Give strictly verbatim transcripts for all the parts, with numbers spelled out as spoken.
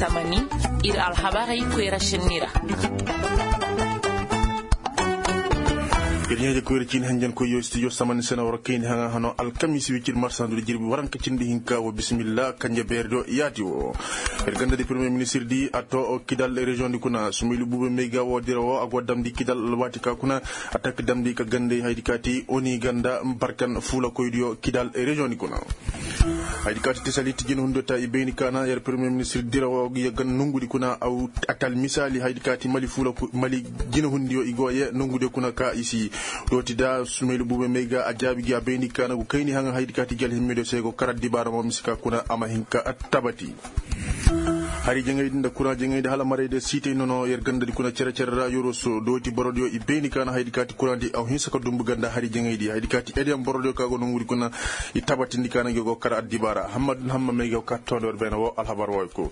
Tamani, ir alhabarey koyra šenni ra. Ir ɲaaje koyra ciini hanjankoyyo studio samani sena war kayndi haŋa hano alkamiisi wicir marsandu da jirbi waranka cindi hinka wo bisimilla kanje beeri do yaati wo. Ir ganda di premier ministir di a to kidal reziyoŋ di kuna sumaylu buube may ga wo dira wo a go damndi kidal alwaati ka kuna a takka damndi ka gandey haydi kaati oni ganda barkan fuulakoydiyo kidal reziyoŋ di kuna. Haydi kaati tesalit jina hundiyo ta i bayni kaana yer premier ministir dira wo ga ye gan nongudi kuna aw atal misaali haydi kaati mali fuula mali jina hundiyo i go ye nongudiyo kuna ka i si. Dooti da sumaylu buube may ga a jaabi gi a bayni kaana go kayni haŋa haydi kaati gi alhimmidiyo se go kara dibaara mo mise ka kuna a ma hin ka tabati. Hari jaŋaydi nda kuraŋ jaŋaydi hala maraydiyo siitay nono yer gandadi kuna cere-cere ra yoroso dooti borodiyo i bayni kaana haydi kaati kuraŋdi aw hinsa ka dumbu ganda hari jaŋaydi haydi kaati ediyaŋ borodiyo ka go nongudi kuna. I tabatindi kaana gi go kara addibaara hamma dun hamma may ga ka tondo yer bayna wo alhabar way ko.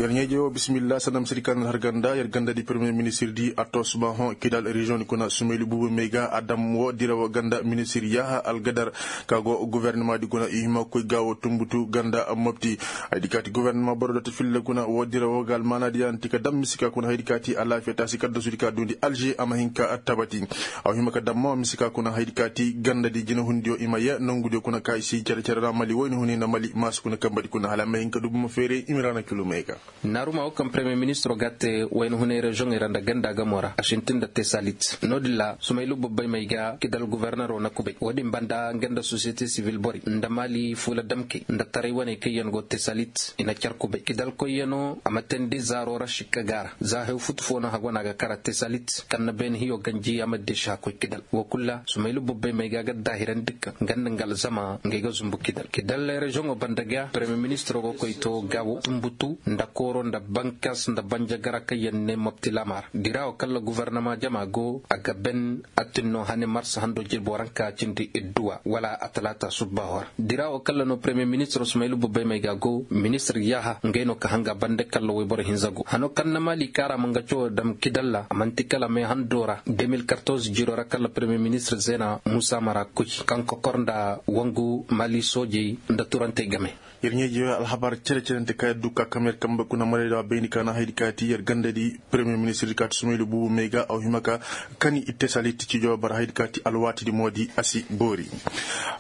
Yer ɲeeje wo bisimilla sanda misedi kaana har ganda yer gandadi premier ministir di a to sumaho kidal reziyoŋ di kuna sumaylu buubu may ga a dam wo dira wo ganda ministir yaaha algadar ka go guvernema di kuna i hima koy ga wo tumbutu ganda mopti. Haydi kaati guvernema boro doti filla kuna wo dira wo ga almaana di yaŋ ti ka dam mise ka kuna haydi kaati alaafiya taasi kaddasudi ka duundi alže a ma hin ka tabati. Aw hima ka dam mo mise ka kuna haydi kaati ganda di jinahundiyo i ma ye nongudiyo kuna ka i si cere-cere ra mali woyni huni nda mali maasu kuna kamba di kuna hala a ma hin ka dubu ma feeray i ma ra na kilumey ga. Naaruma wo kaŋ premier ministiro ga a te wayna hunay reziyoŋey ra nda ganda gamo ra a sintin nda tesalit no-din ra sumaylu bobbay may ga kidal guvernero na kubay wo-din banda nga nda sosiyete sivil borey nda maali fuula damkey nda taray waney kaŋ yaŋ go tesalit i na car kubay kidal koyyaŋo a ma teendi zaaro ra sikka ga ra za hew futu fo no hagwana ga kara tesalit kaŋ na beene hiyo ganji a ma deesi hakkoy kidal wo kulu ra sumaylu bobbay may ga ga daahirandi kaŋ nga nda nga alzama ngey ga zumbu kidal kidal reziyoŋo banda ga premier ministiro go koy to gaabo tumbutu nda kooro nda bankas nda banjagara kaŋ yaŋ ne mopti laama ra dira wo kaŋ ra guvernama jama go a ga ben a tin no hane marsa hando jirbo ranka cindi idduwa wala a talaata subbaho ra dira wo kaŋ ra no premier ministiro sumaylu bobbay may ga go ministir yaaha ngey no ka hanga bande kaŋ ra wayboro hinza go hano kaŋ na maali kaara ma nga cawo dam kidal ra a man'ti kala me hando ra deux mille quatorze jiro ra kaŋ ra premier ministir zeena muusa mara kuy kaŋ kokor nda wangu maali soojey nda turantey game. Yer ɲeeji alhabar cere-cerente ka yer du ka kam yer kambe kuna marayda bayndi ka na haydi kaati yer gandadi premier ministir kaati sumaylu buubu may ga aw hima ka kani ittesalit cijo bara haydi kaati alwaatidi moodi a si boori.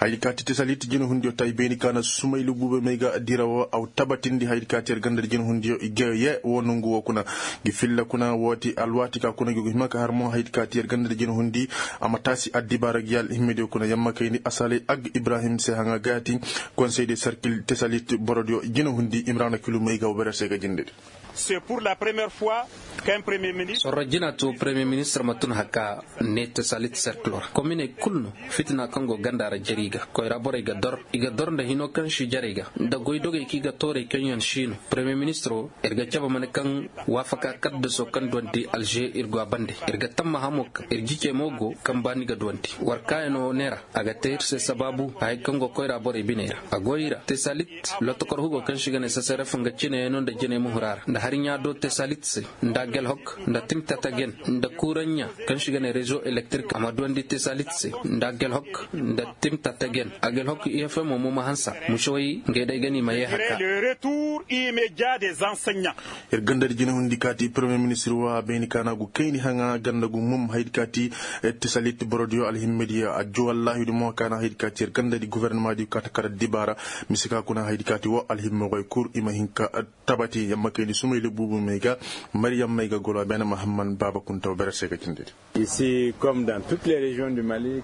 Haydi kaati ittesalit jinahundiyo ta i bayndi ka na sumaylu buubu may ga dira wo aw tabatindi haydi kaati yer gandadi jinahundiyo i ga ye wo nongu wo kuna gi filla kuna wooti alwaati ka kuna gi go hima ka har mo haydi kaati yer gandadi jinahundi a ma taasi addibaara gi alhimmediyo kuna yamma kayndi asalay ag ibrahim se haŋa gaati konsey de sarkil tesalit borodiyo jinahundi imrana kilu may ga wubere se ga jindedi. C'est pour la première fois qu'un premier ministre. Sorro jina to premier ministre ma tun haka ne tesalit cercle ra kominey kulu no fitina kaŋ go ganda ra jari ga koyra borey ga dor i ga dor nda hino kaŋ si jarey ga nda goydogey kaŋ i ga toorey kaŋ yaŋ si no premier ministro ir ga cabe mane kaŋ waafaka kaddaso kaŋ duwandi alže ir go a bande ir ga tammaha mo kaŋ ir jicey mo go kaŋ baani ga duwandi war kaayano neera a ga te ir se sabaabu hayey kaŋ go koyra borey biney ra a go i ra tesalit lotokor hugo kaŋ si ga ne sasaref nga cineyano nda jiney muhura ra nda hari ɲaado tesalit se nda gelhok nda timtatagen nda kuuraɲɲa kaŋ si ga ne rezo elektrik a ma duwandi tesalit se nda gelhok nda timtatagen a gelhok ifmo mo ma hansa musowey ngey day ga ni ma ye haka. Ir gandadi jinahundi kaati premier ministir wa bayni kaana go kayni haŋa ganda go mum haydi kaati tisalit borodiyo alhimmediya a juwallahidi mo kaana haydi kaati ir gandadi guvernema di kaata kara dibaara mise ka kuna haydi kaati wo alhimmogoy kur i ma hin ka tabati yamma kayni sumayli buubu may ga mariyam may ga golo a beene mahamman baaba kuntaw bere se ga cindidi.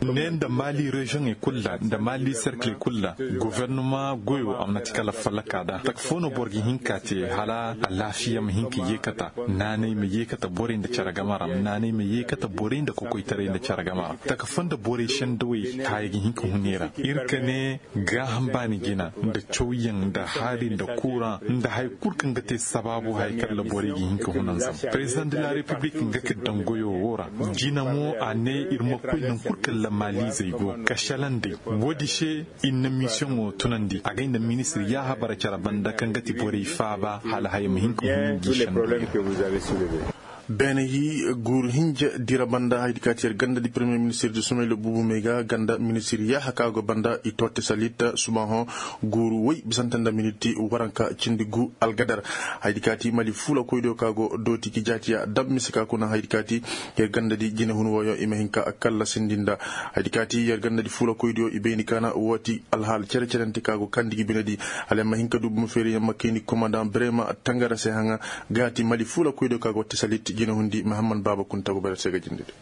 Ne nda mali reziyoŋey kulu ra nda mali serkiley kulu ra guvernoma goyo a mana ti kala fallaka da taka fo no boro ga hin ka te hala alaafiya ma hin ka yeekata naanay ma yeekata borey nda care game ra naanay ma yeekata borey nda kokoytaray nda care game ra taka fo nda borey sendawey haya ga hin ka hun i ra ir ka ne gaaham baani jina nda cawyaŋ nda haari nda kuuraŋ nda haya kulu kaŋ ga te sabaabu haya kaŋ ra borey ga hin ka hun a zama perezidaŋ de la repiblik nga ka daŋ goyo wo ra. Jina mo a ne ir ma koy naŋ kulu kaŋ ra maalizey go ka šelaŋ. Woodi se ir na misiyoŋo tunandi agay nda ministir yaaha bara care banda kaŋ ga ti borey faaba hala haya ma hin ka hun i ga i šendu. Beene hi guuru hinja dira banda haydi kaati yer ganda di premier ministir di sumayla buubu may ga ganda ministir yaaha ka go banda i totte salitta subaahoŋ guuru woy bisante nda miniti waranka cindi gu algadar. Haydi kaati mali fuula koydiyo ka go dooti ki jaatiya dab mise ka kuna haydi kaati yer ganda di jinehun wooyo i ma hin ka kallasindi nda haydi kaati yer ganda di fuula koydiyo i bayni kaana wooti alhaal cere-cerente ka go kandi gi bine di. Hala yer ma hin ka du buma feeri yer ma kayndi komandaŋ brema tangara se haŋa gaati mali fuula koydiyo ka go tesalit jinehundi mahammad baaba kunta go bare se ga jinde di.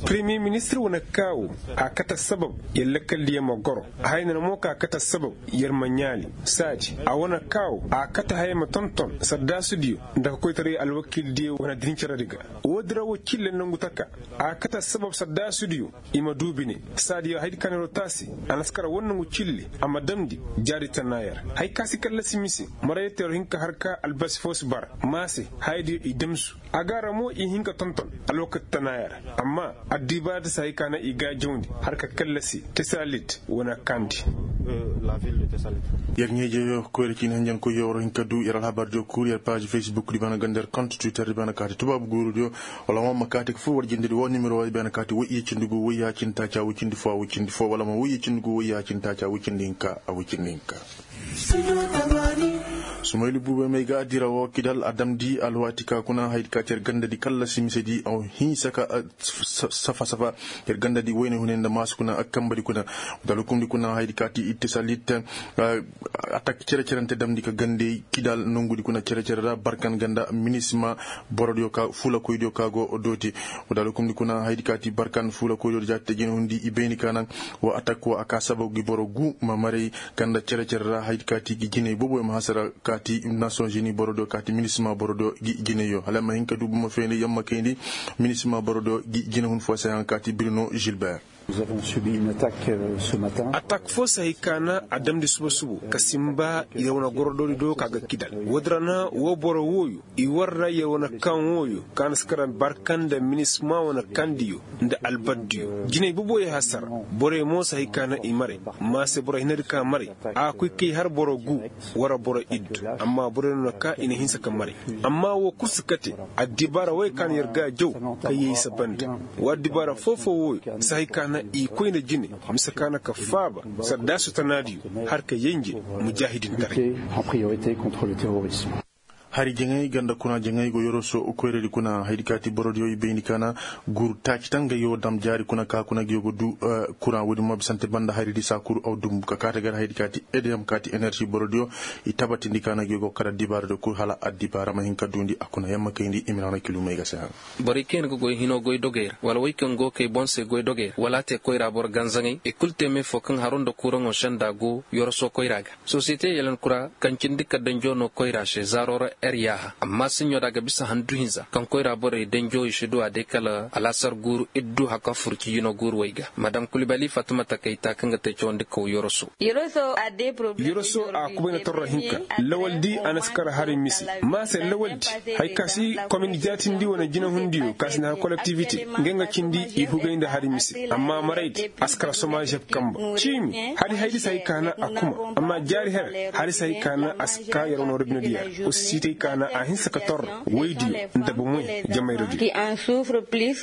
Premier ministir wane kaawu a kate sabab yer lakkaldiyo ma goro. Hayna na mo ka kate sabab yer ma ɲaali saadi a wane kaawu a kate haya ma tonton sardaasudiyo nda ka koytaray alwakiildiyo wane dincaradi ga. Woodi ra wo cille nangu taka a kate sabab sardaasudiyo i ma du bine. Saadiyo haydi ka na yer wo taasi a na si kara wane nangu cille a ma damndi jaari tana yer. Hay ka si kallasi mise marayey te yer wo hin ka har ka albasi foo si bara maa se hayadiyo i damsu. A ga ra mo i hin ka tonton alwakati tana yer. Amma addibaaradi si hay ka na i gaajawndi har ka kallasi tesalit wane kandi. Yer ɲeejeyo koyra ciini hanjankoyyo war hin ka du yer alhabardiyo kul yer paazi facebook di bana ganda yer kont twitter di bana kaati tubaabu guurudiyo. Wala mo ma kaati ka fur war jindedi wo nimero wo i bana kaati woy iyye cindi gu woy yaa cindi taaca woy cindi fo a woy cindi fo wala mo woy iyye cindi gu woy yaa cindi taaca woy cindi hinka a woy cindi hinka. Sumaylu buubey may ga dira wo kidal a damndi alwaati ka kuna haydi kaati yer ganda di kallasi mise di a hinsa ka safa safa yer ganda di woyne hune nda maasu kuna a kamba di kuna. Wata alhukum di kuna haydi kaati itte salit atak cere-cerente damndi ka gande kidal nongudi kuna cere-cere ra barkan ganda minisima borodiyo ka fuulakoydiyo ka go dooti. Wata alhukum di kuna haydi kaati barkan fuulakoydiyo jaati te jine hundi i bayni ka naŋ wa atak wa a ka sababu gi boro gu ma maray ganda cere-cere ra haydi kaati gi jiney booboyo ma hasara kaati nations unis borodiyo kaati minisima borodiyo gi jineyyo hala ma hin ka du buma feeni yamma kayndi minisima borodiyo gi jine hun fo se haŋ kaati birino gilbert. Atak fo se hay ka na a damndi suba suba ka simba yer wane gorodoodi do ka ga kidal woodi ra na woo boro wooyo i war ra yer wane kaŋ wooyo ka na si kara barka nda minisima wane kaŋ diyo nda albardiyo jiney boboyo hasara. Borey mo se hay ka na i maray ma se boro hinadi ka maray a koy kay har boro gu wara boro iddu. Amma borey no na ka i na hinsa ka maray amma woo kul si kate addibaara woy ka na yer ga jaw ka yay sabandi. Woo addibaara foo-foo wooyo si hay ka na i koyne jine mise ka na ka faaba sardaasu tanaadiyo har ka yenje mujaahidintaray. Hari jaŋay ganda kuna jaŋay go yoroso koyradi kuna haydi kaati borodiyo i bayndi kaana guuru taaci tan ga yoo dam jaari kuna ka kuna ga yoo go du kuraŋ woodi mo bisante banda hari di saa kuru aw dumbu ka kaate gar haydi kaati edeyam kaati enerži borodiyo i tabatindi kaana ga yoo go kar addibaara do kul hala addibaara ma hin ka duundi a kuna yamma kayndi i ma naŋ na kilumey ga se haŋ. Borey kaŋ yaŋ ga goy hinoo goy dogey ra wala wey kaŋ go kay boŋ se goy dogey ra wala a te koyra boro ganzaŋey i kul te me fo kaŋ haro nda kuraŋo senda go yoroso koyra ga. Sosiyete yalankura kaŋ cindi ka danjo no koyra se zaaro ra er yaaha amma siɲo da a ga bisa handu hinza kaŋ koyra borey danjo i si du a day kala alaasar guuru iddu haka fur ci jino guuru wey ga madam kulibali fatumata kayta kaŋ ga te cawandi kaw yoroso. Yoroso a kubayna torro hinka lawaldi a na si kar hari mise ma se lawaldi hari ka si komin jaatindi wane jinahundiyo ka si na hari kolektivite nga nga cindi i hugay nda hari mise amma maraydi a si kar somajeb kamba ciimi hari haydi si hay ka na a kuma amma jaari hera hari si hay ka na a si ka yer wane robinediya. Usisitey ka na a hinsa ka torro woydiyo nda bomoy jamayradiyo.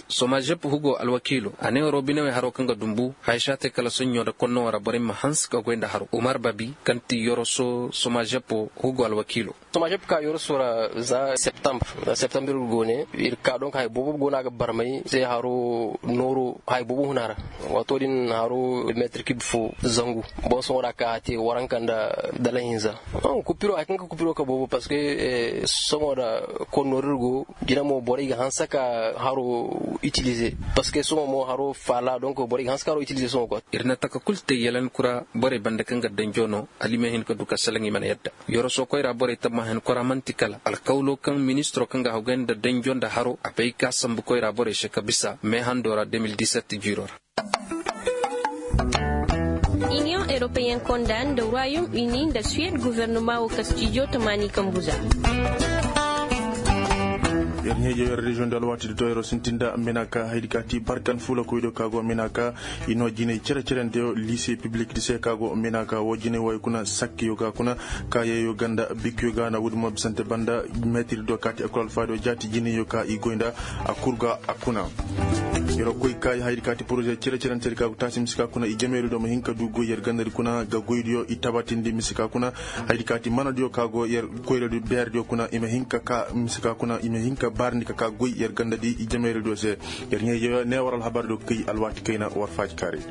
Somajeb hugo alwakiilo a ne robinewey haro kaŋ ga dumbu haya si a te kala soɲɲo nda konno wara borey ma hanse ka goy nda haro umar babi kaŋ ti yoroso somajeb hugo alwakiilo. Somajeb ka yoroso ra za septambur za septambur go ne ir ka donk haya boobo go no a ga barmay se haro nooro haya boobo huna ra. Waato din haro meetir kib fo zangu boŋ sohõ ra ka a te waranka nda dala hinza. Kupiro haya kaŋ ka kupiro ka boobo parceque sohõ ra konnorir go jina mo borey ga hanse ka haro itilize parceque sohõ mo haro faala donk borey ga hanse ka haro itilize sohõ quoi. Ir na taka kul te yalankura borey banda kaŋ ga danjo no alime hin ka du ka salaŋ i mana yadda. Yoroso koyra borey tammahen kora man'ti kala alkawlo kaŋ ministiro kaŋ ga hawgay nda danjo nda haro a bay ka sambu koyra borey se ka bisa me hando ra deux mille dix-sept jiiro ra. Iniyoŋ eropeyen konda nda royom uni nda suwed guvernoma wo kastijo tamaani kambu za. Yer ɲeejo yer reziyoŋ di alwaati di to yeroo sintin nda menaka haydi ka ti barkan fuula koydiyo ka go menaka. I noo jinay cere-cerenteyo liise piblik di se ka go menaka woo jinay wooyo kuna sakkiyo ga kuna. Ka yeeyo ga nda bikkiyo ga na woodi mo bisante banda. Meetir diyo ka ti ekol alfaadiyo jaati jinayyo ka i goy nda a kul ga a kuna. Yeroo koy kaayi haydi ka ti poroze cere-cerentedi ka go taasi mise ka kuna i jameeri diyo ma hin ka du goy yer gandadi kuna ga goydiyo i tabatindi mise ka kuna. Haydi ka ti manadiyo ka go yer koyradi beerediyo kuna i ma hin ka kaa mise ka kuna i ma hin ka baarandi ka kaa goy yer gandadi i jameerediyo se. Yer ɲeeyo ne war alhabardiyo kay alwaati kayna war faaji kaaraydi.